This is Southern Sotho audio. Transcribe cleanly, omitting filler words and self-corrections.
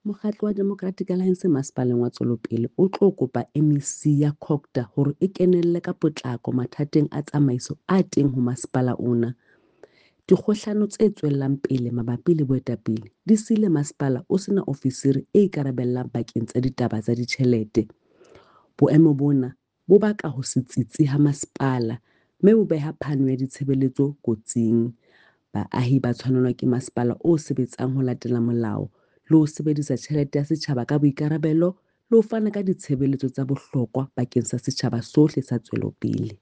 Mokgatlo wa Democratic Alliance Masepaleng wa Tswelopele o tlo kopa MEC ya COGTA hore e kenelle ka potlako mathateng a tsamaiso a teng ho masepala ona. Dikgohlano tse tswelang pele mabapi le boetapele di siile masepala o sena ofisiri e ikarabellang bakeng tsa ditaba tsa ditjhelete. Boemo bona bo baka ho se tsitsi ha masepala mme bo beha phano ya ditshebeletso kotsing. Baahi ba tshwanelwa ke masepala o sebetsang ho latela molao le ho sebedisa tjhelete ya setjhaba ka boikarabelo le ho fana ka ditshebeletso tsa bohlokwa bakeng sa setjhaba sohle sa Tswelopele.